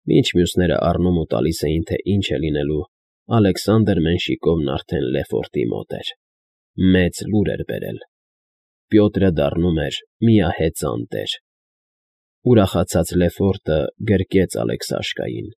Մինչ մյուսները առնում ու տալիս էին, թե ինչ է լինելու, Ալեքսանդր Մենշիկովն արդեն Լեֆորտի մոտ էր. մեծ լուր էր բերել. Պյոտրը դառնում էր միահեծան տեր։ Ուրախացած Լեֆորտը գրկեց Ալեքսաշկային,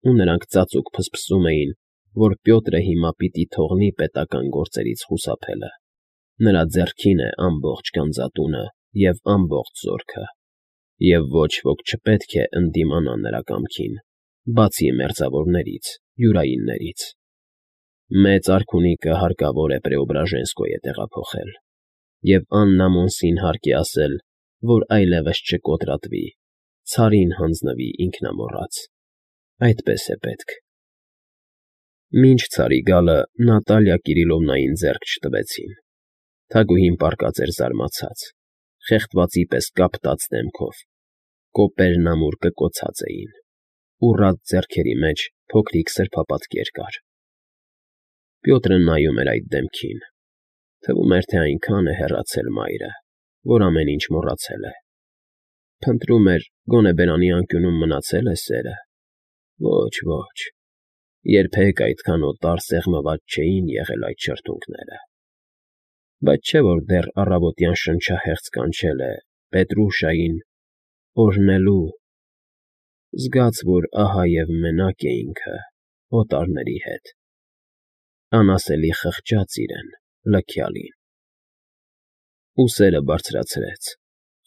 ու նրանք ծածուկ փսփսում էին, որ Պյոտրը հիմա պիտի թողնի պետական գործերից խուսափելը. նրա ձեռքին է ամբողջ գանձատունը և ամբողջ զորքը, և ոչ ոք չպետք է ընդդիմանա նրա կամքին, բացի մերձավորներից, յուրայիններից։ Մեծ արքունիքը հարկավոր է Պրեոբրաժենսկոյե տեղափոխել, և Աննամոնսին հարկ է ասել, որ այլևս չկոտրատվի, ցարին հանձնվի ինքնամոռաց։ Այդպես է պետք։ Մինչ ցարի գալը Նատալիա Կիրիլովնային ձեռք չտվեցին։ Թագուհին պառկած էր զարմացած, խեղդվածի պես կապտած դեմքով, կոպերն ամուր կկոցած էին, ուռած ձեռքերի մեջ փոքրիկ սրբապատկեր կար։ Պյոտրը նայում էր այդ դեմքին, թվում էր, թե այնքան է հեռացել մայրը, որ ամեն ինչ մոռացել է։ Փնտրում էր, գոնե բերանի անկյունում մնացել է սերը։ Ոչ, ոչ, երբեք այդքան օտար սեղմված չէին եղել այդ շրթունքները։ Բայց չէ՞ որ դեռ առավոտյան շնչահեղձ կանչել է Պետրուշային օրհնելու, զգաց, որ ահա և մենակ է ինքը օտարների հետ, անասելի խղճաց իրեն, լքյալին։ Ուսերը բարձրացրեց,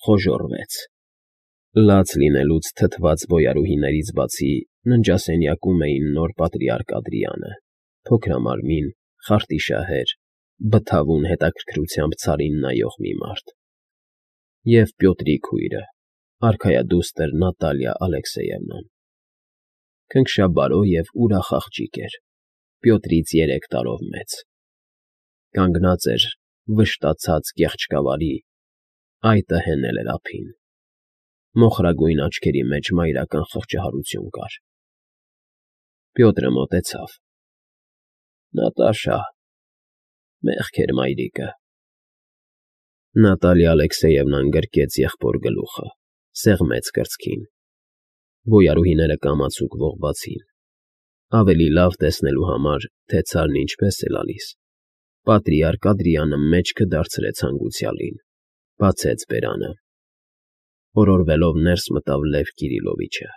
խոժոռվեց։ Լաց լինելուց թթված բոյարուհիներից բացի ննջասենյակում էին նոր պատրիարք Ադրիանը, փոքրամարմին, խարտիշահեր, բթավուն հետաքրքրությամբ ցարին նայող մի մարդ, և Պյոտրի քույրը, արքայադուստր Նատալիա Ալեքսեևնան։ Քնքշաբարո և ուրախ աղջիկ էր, Պյոտրից 3 տարով մեծ։ Կանգնած էր վշտացած կեղճկավարի, այտը հենել էր ափին։ Մոխրագույն աչքերի մեջ մայրական խղճահարություն կար։ Պյոտրը մոտեցավ. Նատաշա, մեղք էր մայրիկը։ Նատալիա Ալեքսեևնան գրկեց եղբոր գլուխը, սեղմեց կրծքին։ Բոյարուհիները կամացուկ ողբացին։ Ավելի լավ տեսնելու համար, թե ցարն ինչպես է լալիս, պատրիարք Ադրիանը մեջքը դարձրեց հանգուցյալին, բացեց բերանը։ Օրորվելով ներս մտավ Լև Կիրիլովիչը,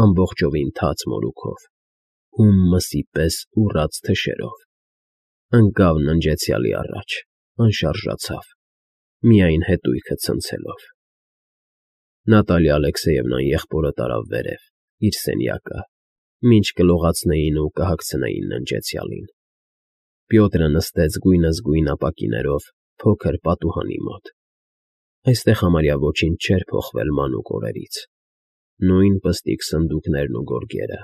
ամբողջովին թաց մորուքով, հում մսի պես ուռած թշերով։ Ընկավ ննջեցյալի առաջ, անշարժացավ, միայն հետույքը ցնցելով։ Նատալիա Ալեքսեևնան եղբորը տարավ վերև, իր սենյակը, մինչ կլողացնեին ու կհագցնեին ննջեցյալին։ Պյոտրը նստեց գույնզգույն ապակիներով փոքր պատուհանի մոտ։ Այստեղ համարյա ոչինչ չէր փոխվել մանուկ օրերից։ Նույն պստիկ սնդուկներն ու գորգերը,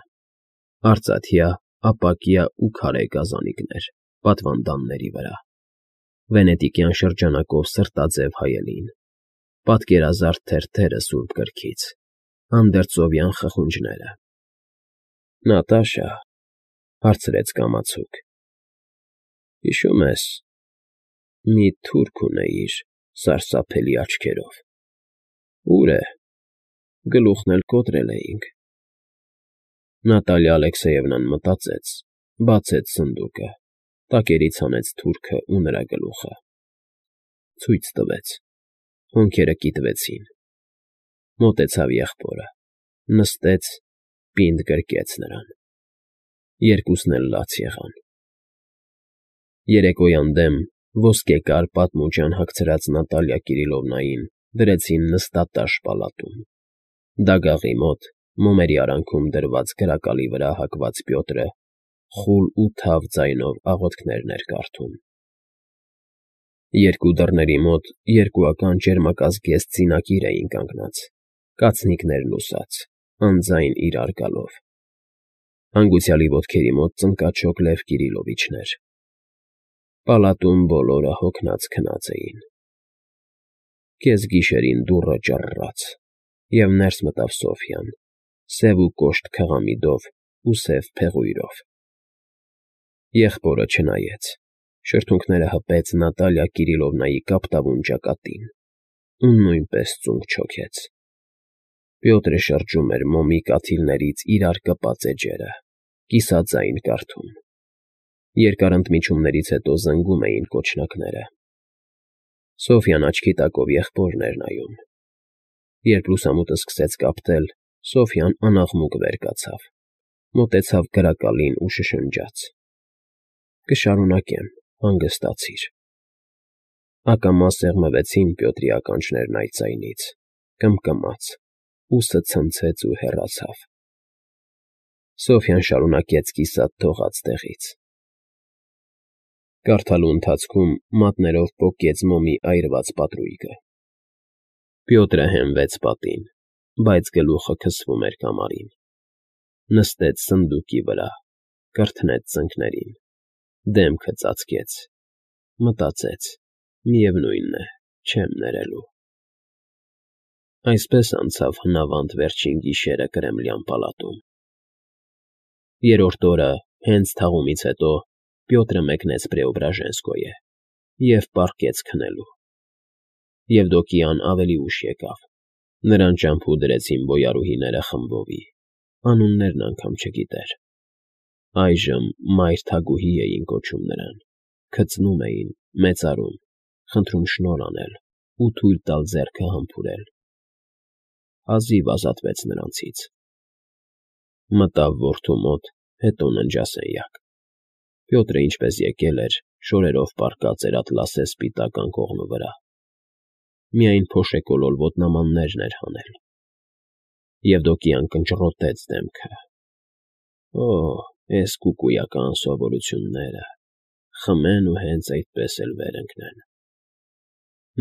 արծաթյա, ապակյա ու քարե գազանիկներ պատվանդանների վրա, վենետիկյան շրջանակով սրտաձև հայելին, պատկերազարդ թերթերը սուրբ գրքից, անդերձովյան խխունջները։ Նատաշա, հարցրեց կամացուկ, հիշո՞ւմ ես, մի թուրք ունեիր սարսափելի աչքերով։ Ո՞ւր է, գլուխն էլ կոտրել էինք։ Նատալիա Ալեքսեևնան մտածեց, բացեց սնդուկը, տակերից հանեց թուրքը ու նրա գլուխը։ Ցույց տվեց, հոնքերը կիտվեցին։ Մոտեցավ եղբորը, նստեց, պինդ գրկեց նրան։ Երկուսն էլ լաց եղան։ Երեկոյան դեմ ոսկեկար պատմուջան հագցրած Նատալիա Կիրիլովնային դրեցին նստատաշ պալատում։ Դագաղի մոտ, մոմերի արանքում դրված գրակալի վրա հագված Պյոտրը խուլ ու թավ ձայնով աղոթքներն էր կարդում։ Երկու դռների մոտ երկուական ճերմակազգեստ զինակիր էին կանգնած, կացնիկներն ուսած, անձայն իրար գալով։ Հանգուցյալի ոտքերի մոտ ծնկաչոք Լև Կիրիլովիչն էր։ Պալատում բոլորը հոգնած քնած էին։ Կեսգիշերին դուռը ճռռաց, և ներս մտավ Սոֆյան, սև ու կոշտ քղամիդով ու սև փեղույրով։ Եղբորը չնայեց, շրթունքները հպեց Նատալիա Կիրիլովնայի կապտավուն ճակատին ու նույնպես ծունկ չոքեց։ Պյոտրը շրջում էր մոմի կաթիլներից իրար կպած էջերը, կիսաձայն կարդում։ Երկար ընդմիջումներից հետո զնգում էին կոչնակները։ Սոֆյան աչքի տակով եղբորն էր նայում։ Երբ լուսամուտը սկսեց կապտել, Սոֆյան անաղմուկ վեր կացավ, մոտեցավ գրակալին ու շշնջաց. «Կշարունակեմ, հանգստացիր»։ Ակամա սեղմվեցին Պյոտրի ականջներն այդ ձայնից, կմկմաց, ուսը ցնցեց ու հեռացավ։ Սոֆյան շարունակեց կիսատ թողած տեղից։ Կարդալու ընթացքում մատներով պոկեց մոմի այրված պատրույգը։ Պյոտրը հենվեց պատին, բայց գլուխը քսվում էր կամարին։ Նստեց սնդուկի վրա, կրթնեց ծնկներին, դեմքը ծածկեց, մտածեց. միևնույն է, չեմ ներելու։ Այսպես անցավ հնավանդ վերջին գիշերը Կրեմլյան պալատում։ Երրորդ օրը, հենց թաղումից հետո, Պյոտրը մեկնեց Պրեոբրաժենսկոյե և պառկեց քնելու։ Եվդոկիան ավելի ուշ եկավ։ Նրան ճամփու դրեցին բոյարուհիները խմբովի, անուններն անգամ չգիտեր։ Այժմ մայր թագուհի էին կոչում նրան, քծնում էին, մեծարում, խնդրում շնորհ անել ու թույլ տալ ձեռքը համբուրել։ Հազիվ ազատվեց նրանցից։ Մտավ որդու մոտ, հետո ննջասենյակ։ Պյոտրը ինչպես եկել էր, շորերով պառկած էր ատլասե սպիտակ անկողնու վրա։ Միայն փոշեկոլոր ոտնամաններն էր հանել։ Եվդոկիան կնճռոտեց դեմքը։ Օ, էս կուկույական սովորությունները, խմեն ու հենց այդպես էլ վեր ընկնեն։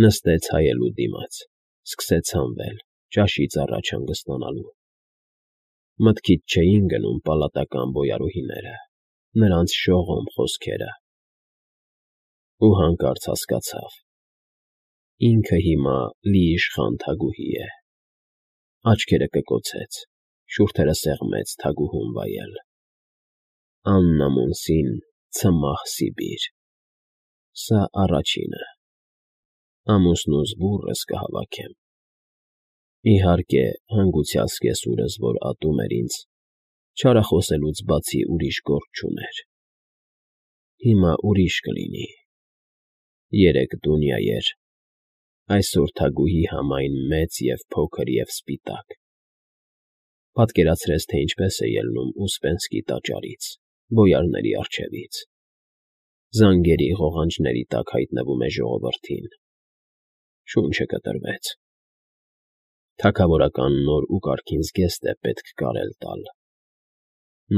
Նստեց հայելու դիմաց, սկսեց հանվել, ճաշից առաջ հանգստանալու։ Մտքից չէին գնում պալատական բոյարուհիները, նրանց շողոմ խոսքերը։ Ու հանկարծ հասկացավ. ինքը հիմա լիիշխան թագուհի է։ Աչքերը կկոցեց, շուրթերը սեղմեց թագուհուն վայել։ Աննա Մոնսին, ցմահ Սիբիր։ Սա առաջինը։ Ամուսնուս բուռս կհավաքեմ։ Իհարկե, հանգուցյալ սկեսուրս, որ ատում էր ինձ, չարախոսելուց բացի ուրիշ գործ չուներ։ Հիմա ուրիշ կլինի։ Երեկ Դունյա էր, այսօր թագուհի համայն մեծ և փոքր և սպիտակ։ Պատկերացրեց, թե ինչպես է ելնում Ուսպենսկի տաճարից, բոյարների առջևից։ Զանգերի ղողանջների տակ հայտնվում է ժողովրդին։ Շունչը կտրվեց։ Թագավորական նոր ու կարգին զգեստ է պետք կարել տալ։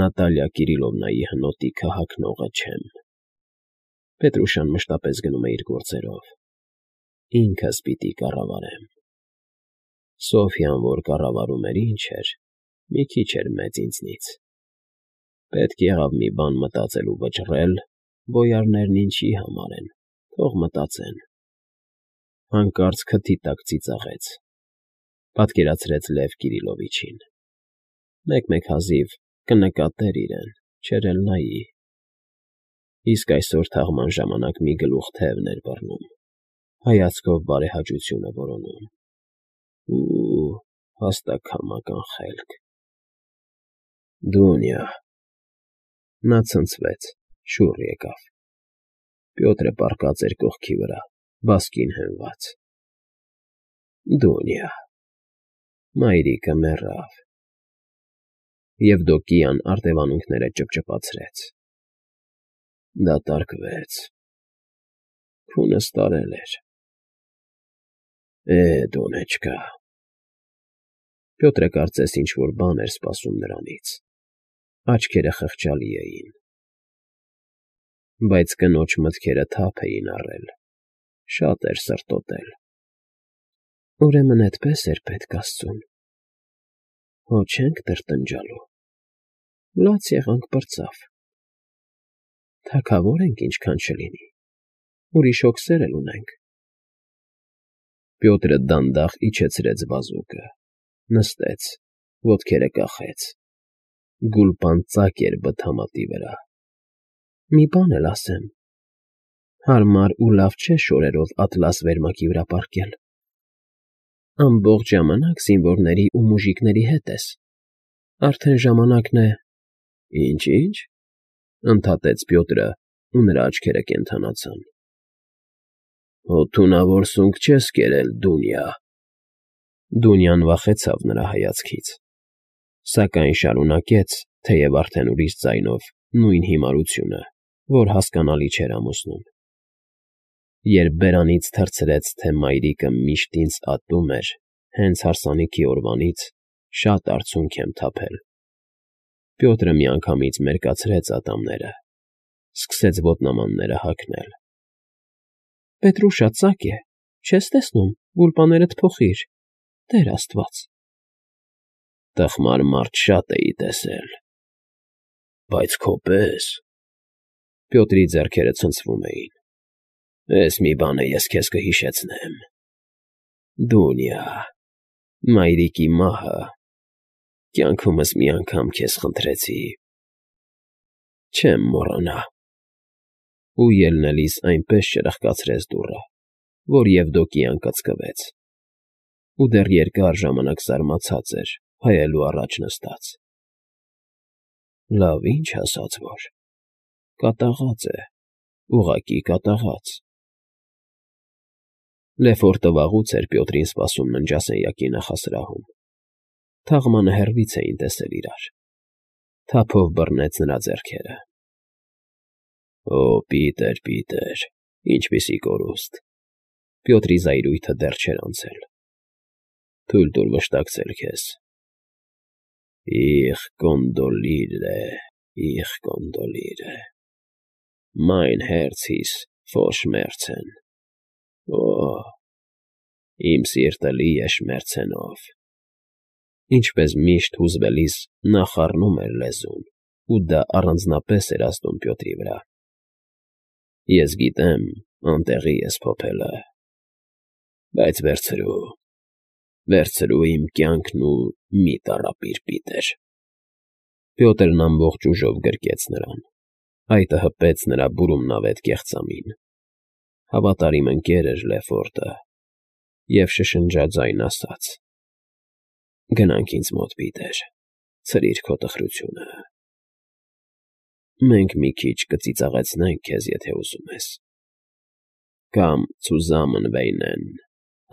Նատալիա Կիրիլովնայի հնոտիքը հագնողը չեմ։ Պետրուշան մշտապես գնում է իր գործերով։ Ինքս պիտի կառավարեմ։ Սոֆյան, որ կառավարում էր, ինչ էր, մի քիչ էր մեծ ինձնից։ Պետք եղավ մի բան մտածել ու վճռել, բոյարներն ինչի համար են, թող մտածեն։ Հանկարծ քթի տակ ծիծաղեց։ Պատկերացրեց Լև Կիրիլովիչին։ Մեկ-մեկ հազիվ կնկատեր իրեն, չէր էլ նայի։ Իսկ այսօր թաղման ժամանակ մի գլուխ թևն էր բռնում, հայացքով բարեհաճությունը որոնում։ Ու հաստակամական խելք։ Դունյա։ Նա ցնցվեց, շուռ եկավ։ Պյոտրը պառկած էր կողքի վրա, բասկին հենված։ Դունյա։ Մայրիկը մեռավ։ Եվդոկիան արտևանունքները ճպճպացրեց։ Դատարկվեց։ Քունս տարել էր։ Դոնեչկա։ Պյոտրը կարծես ինչ-որ բան էր սպասում նրանից։ Աչքերը խղճալի էին։ Բայց կնոջ մտքերը թափ էին առել, շատ էր սրտոտել։ Ուրեմն էդպես էր պետք Աստծուն։ Հո չենք տրտնջալու։ Լաց եղանք պրծավ։ Թագավոր ենք, ինչքան չլինի։ Ուրիշ հոգսեր էլ ունենք։ Պյոտրը դանդաղ իջեցրեց բազուկը, նստեց, ոտքերը կախեց։ Գուլպան ծակ էր բթամատի վրա։ Մի բան էլ ասեմ. հարմար ու լավ չէ շորերով ատլաս վերմակի վրա պառկել։ Ամբողջ ժամանակ զինվորների ու մուժիկների հետ ես։ Արդեն ժամանակն է… Ինչ, ընդհատեց Պյոտրը, ու նրա աչքերը կենդանացան։ Հո թունավոր սունկ չես կերել, Դունյա։ Դունյան վախեցավ նրա հայացքից, սակայն շարունակեց, թեև արդեն ուրիշ ձայնով, նույն հիմարությունը, որ հասկանալի չէր ամուսնուն։ Երբ բերանից թռցրեց, թե մայրիկը միշտ ինձ ատում էր, հենց հարսանիքի օրվանից շատ արցունք եմ թափել։ Պյոտրը միանգամից մերկացրեց ատամները, սկսեց ոտնամանները հագնել։ Պետրուշա, ծակ է, չես տեսնում, վուլպաներդ փոխիր, Տեր Աստված։ Տխմար մարդ շատ էի տեսել, բայց քո պես… Պյոտրի ձեռքերը ցնցվում էին։ Էս մի բան է, ես քեզ կհիշեցնեմ։ Դունյա, մայրիկի մահը… Կյանքումս մի անգամ քեզ խնդրեցի… Չեմ մոռանա… Ու ելնելիս այնպես չրխկացրեց դուռը, որ Եվդոկիան կծկվեց, ու դեռ երկար ժամանակ զարմացած էր, հայելու առաջ նստած։ Լավ, ինչ ասած որ… Կատաղած է, ուղղակի կատաղած։ Լեֆորտը վաղուց էր Պյոտրին սպասում ննջասենյակի նախասրահում։ Թաղմանը հեռվից էին տեսել իրար։ Թափով բռնեց նրա ձեռքերը։ Օ, Պիտեր, ինչպիսի կորուստ… Պյոտրի զայրույթը դեռ չէր անցել։ Թույլ տուր վշտակցել քեզ։ Ich kondoliere… Mein Herz ist voll Schmerzen… Օ՜, իմ սիրտը լի է շմերցենով… Ինչպես միշտ հուզվելիս նա խառնում էր լեզուն, ու դա առանձնապես էր ազդում Պյոտրի վրա։ Ես գիտեմ, անտեղի ես փոփելը… Բայց վերցրու իմ կյանքն ու մի տառապիր, Պիտեր… Պյոտրն ամբողջ ուժով գրկեց նրան։ Այդը հպեց նրա բուրումնավետ կեղծամին։ Հավատարիմ ընկեր էր Լեֆորտը, և շշնջաձայն ասաց. Գնանք ինձ մոտ, Պիտեր, ցրիր քո տխրությունը… Մենք մի քիչ կծիծաղեցնենք քեզ, եթե ուզում ես… Կամ zusammen weinen,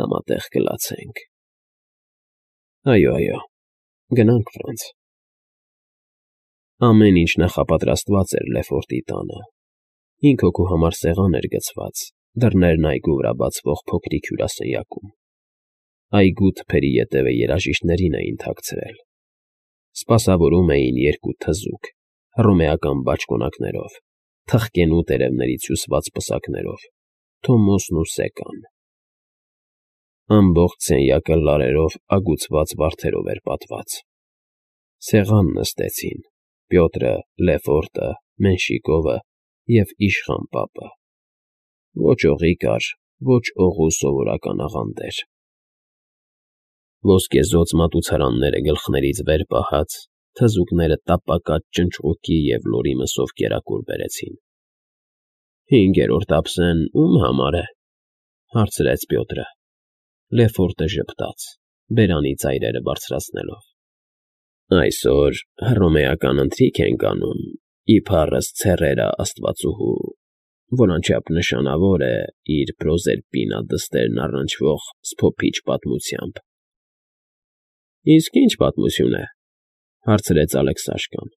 համատեղ կլացենք… Այո, գնանք, Ֆրանց… Ամեն ինչ նախապատրաստված էր Լեֆորտի տանը։ 5 հոգու համար սեղան էր գցված դռներն այգու վրա բացվող փոքրիկ հյուրասենյակում։ Այգու թփերի ետևը երաժիշտներին էին թաքցրել։ Սպասավորում էին 2 թզուկ, հռոմեական բաճկոնակներով, թխկենու տերևներից հյուսված պսակներով, Թոմոսն ու Սեկան։ Ամբողջ սենյակը լարերով ագուցված վարդերով էր պատված։ Սեղան նստեցին Պյոտրը, Լեֆորտը, Մենշիկովը և իշխան պապը։ Ոչ օղի կար, ոչ օղու սովորական աղանդեր։ Ոսկեզօծ մատուցարանները գլխներից վեր պահած, թզուկները տապակած ճնճղուկի և լորի մսով կերակուր բերեցին։ 5-րդ ափսեն ո՞ւմ համար է,֊ հարցրեց Պյոտրը։ Լեֆորտը ժպտաց, բերանի ծայրերը բարձրացնելով։ Այսօր հռոմեական ընթրիք ենք անում, իբառս Ցերերա աստվածուհու, որ անչափ նշանավոր է իր Պրոզերպինա դստերն առնչվող սփոփիչ պատմությամբ։ Իսկ ի՞նչ պատմություն է,֊ հարցրեց Ալեքսաշկան։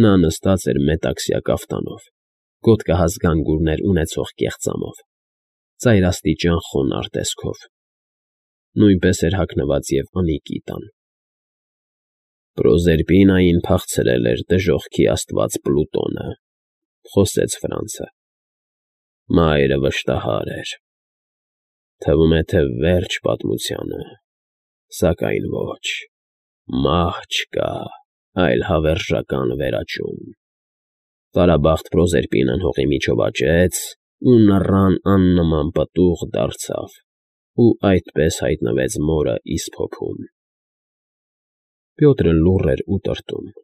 Նա նստած էր մետաքսյա կաֆտանով, գոտկահաս գանգուրներ ունեցող կեղծամով, ծայրաստիճան խոնարհ տեսքով։ Նույնպես էր հագնված և անիկի տան։ Պրոզերպինային փախցրել էր դժոխքի աստված Պլուտոնը, խոսեց Ֆրանցը։ Մայրը վշտահար էր։ Թվում է, թե վերջ պատմությանը, սակայն ոչ, մահ չկա, այլ հավերժական վերաճում։ Տարաբախտ Պրոզերպինան հողի միջով աճեց ու նռան աննման պտուղ դարձավ ու այդպես հայտնվեց մորը Իսփոփում։ Պյոտրը լուռ էր ու տրտում։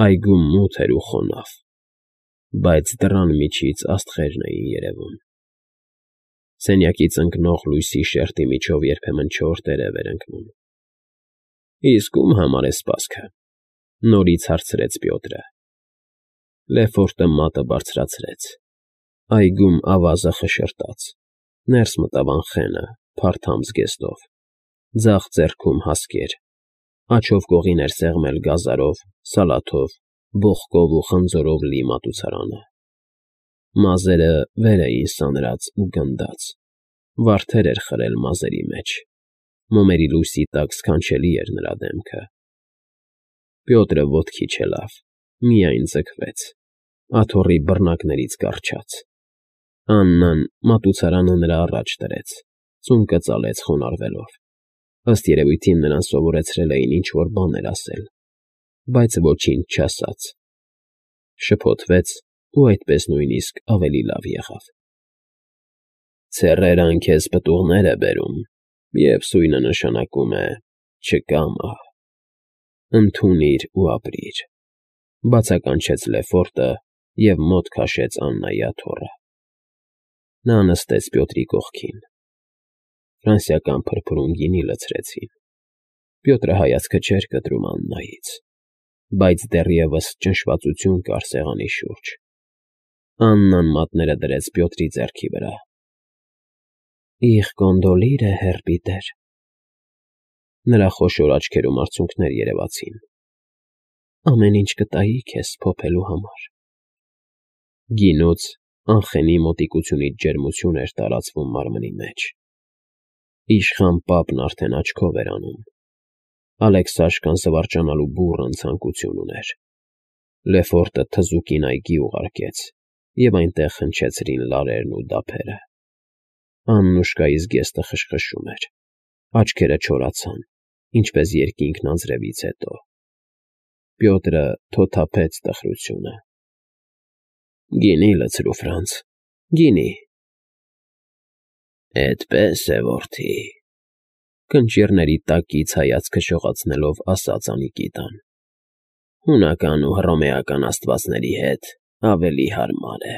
Այգում մութ էր ու խոնավ, բայց դռան միջից աստղերն էին երևում։ Սենյակից ընկնող լույսի շերտի միջով երբեմն չոր տերև էր ընկնում։ Իսկ ում համար է սպասքը,֊ նորից հարցրեց Պյոտրը։ Լեֆորտը մատը բարձրացրեց։ Այգում ավազը խշրտաց, ներս մտավ անխենը, փարթամ զգեստով, ձախ ձեռքում հասկեր, աջով կողին էր սեղմել գազարով, սալաթով, բողկով ու խնձորով լի մատուցարանը։ Մազերը վեր էին սանրած ու գնդաց, վարդեր էր խրել մազերի մեջ, մոմերի լույսի տակ սքանչելի էր նրա դեմքը։ Պյոտրը ոտքի չելավ, միայն ձգվեց, աթոռի բռնակներից կառչաց։ Աննան մատուցարանը նրա առաջ դրեց, ծունկը ծալեց խոնարհվելով։ Ըստ երևույթին նրան սովորեցրել էին ինչ֊որ բաներ ասել, բայց ոչինչ չասաց։ Շփոթվեց ու այդպես նույնիսկ ավելի լավ եղավ։ Ցեռերն քեզ պտուղներ է բերում, և սույնը նշանակում է չկա մահ։ Ընդունիր ու ապրիր,֊ բացականչեց Լեֆորտը և մոտ քաշեց Աննայի աթոռը։ Նա նստեց Պյոտրի կողքին։ Ֆրանսիական փրփուրում գինի լցրեցին։ Պյոտրը հայացքը չէր կտրում Աննայից, բայց դեռևս ճնշվածություն կար սեղանի շուրջ։ Աննան մատները դրեց Պյոտրի ձեռքի վրա։ «Իղ կոնդոլիրը, հեր Պիտեր»։ Նրա խոշոր աչքերում արցունքներ երևացին։ «Ամեն ինչ կտայի քեզ փոփելու համար»։ Գինուց անխենի մոտիկությունից ջերմություն էր տարածվում մարմնի մեջ։ Իշխան պապն արդեն աչքով էր անում։ Ալեքսաշկան զվարճանալու բուռն ցանկություն ուներ։ Լեֆորտը թզուկին այգի ուղարկեց, և այնտեղ հնչեցրին լարերն ու դափերը։ Աննուշկայի զգեստը խշխշում էր, աչքերը չորացան, ինչպես երկինքն անձրևից հետո։ Պյոտրը թոթափեց տխրությունը։ «Գինի լցրու, Ֆրանց, գինի»։ «Էդպես է, որդի,֊ կնճիռների տակից հայացքը շողացնելով ասաց Անիկիտան,֊ հունական ու հռոմեական աստվածների հետ ավելի հարմար է»։